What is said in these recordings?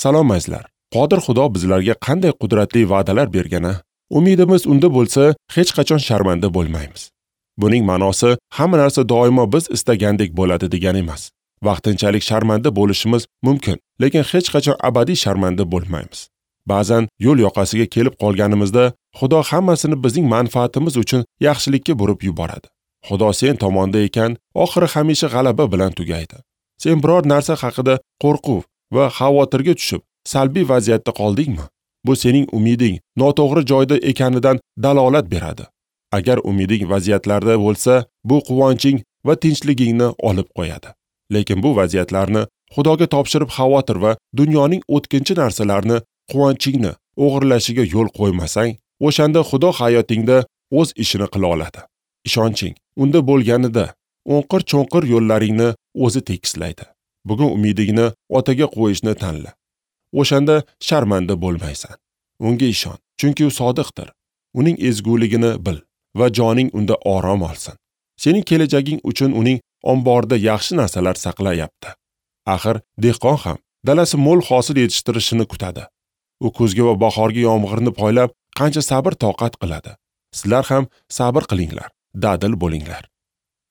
Salom azizlar. Qodir Xudo bizlarga qanday qudratli va'dalar bergani, umidimiz unda bo'lsa, hech qachon sharmanda bo'lmaymiz. Buning ma'nosi hamma narsa doimo biz istagandek bo'ladi degani emas. Vaqtinchalik sharmanda bo'lishimiz mumkin, lekin hech qachon abadiy sharmanda bo'lmaymiz. Ba'zan yo'l yoqasiga kelib qolganimizda Xudo hammasini bizning manfaatimiz uchun yaxshilikka burib yuboradi. Xudo sen tomonda ekan, oxiri hamisha g'alaba bilan tugaydi. Sen biror narsa haqida qo'rquv va xavotirga tushib, salbiy vaziyatda qoldingmi? Bu sening umiding noto'g'ri joyda ekanidan dalolat beradi. Agar umiding vaziyatlarda bo'lsa, bu quvonching va tinchligingni olib qo'yadi. Lekin bu vaziyatlarni Xudoga topshirib xavotir va dunyoning o'tkinchi narsalarini quvonchingni o'g'irlashiga yo'l qo'ymasang, o'shanda Xudo hayotingda o'z ishini qila oladi. Ishonching unda bo'lganida o'nqir-cho'nqir yo'llaringni o'zi tekislaydi. Bugun umidingni otaga qo'yishni tanla. O'shanda sharmanda bo'lmaysan. Unga ishon, chunki u sodiqdir. Uning ezguligini bil va joning unda orom olsin. Sening kelajaging uchun uning omborida yaxshi narsalar saqlayapti. Axir dehqon ham dalasi mo'l hosil yetishtirishini kutadi. U kuzgi va bahorgi yomg'irni poylab qancha sabr toqat qiladi. Sizlar ham sabr qilinglar, dadil bo'linglar.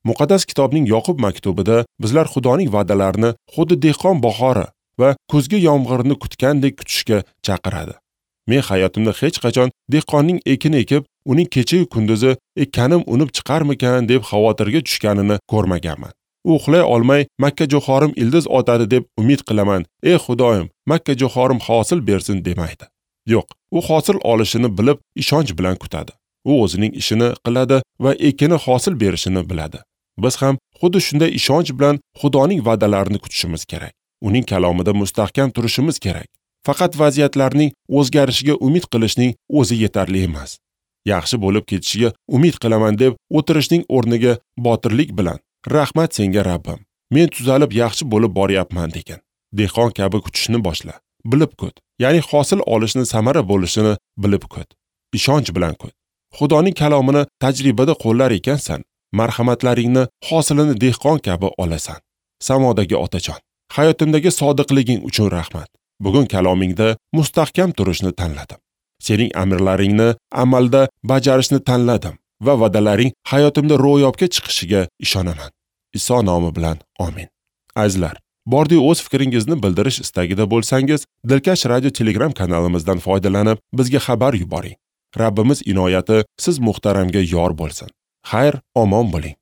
Muqaddas kitobning Yoqub maktubida bizlar Xudoning va'dalarini xuddi dehqon bahori va kuzgi yomg'irni kutgandek kutishga chaqiradi. Men hayotimda hech qachon dehqonning ekin ekib, uning kecha-yu kunduzi ekkanim unib chiqarmikan deb xavotirga tushganini ko'rmaganman. U uxlay olmay makka jo'xorim ildiz otadi deb umid qilaman. Ey Xudoyim, makka jo'xorim hosil bersin demaydi. Yo'q, u hosil olishini bilib, ishonch bilan kutadi. U o'zining ishini qiladi va ekini hosil berishini biladi. Biz ham xuddi shunday ishonch bilan Xudoning va'dalarini kutishimiz kerak. Uning kalomida mustahkam turishimiz kerak. Faqat vaziyatlarning o'zgarishiga umid qilishning o'zi yetarli emas. Yaxshi bo'lib ketishiga umid qilaman deb o'tirishning o'rniga botirlik bilan rahmat senga Rabbim, men tuzalib yaxshi bo'lib boryapman degan. Dehqon kabi kutishni boshla. Bilib kut. Ya'ni hosil olishni, samara bo'lishini bilib kut. Ishonch bilan kut. Xudoning kalomini tajribada qo'llar ekansan, marhamatlaringni hosilini dehqon kabi olasan. Samodagi otajon, hayotimdagi sodiqliging uchun rahmat. Bugun kalomingda mustahkam turishni tanladim. Sening amrlaringni amalda bajarishni tanladim va va'dalaring hayotimda ro'yobga chiqishiga ishonaman. Iso nomi bilan amin. Azizlar, bordi o'z fikringizni bildirish istagida bo'lsangiz, Dilkash radio Telegram kanalimizdan foydalanib bizga xabar yuboring. Rabbimiz inoyati siz muhtaramga yor bo'lsin. Xayr, omon bo'ling.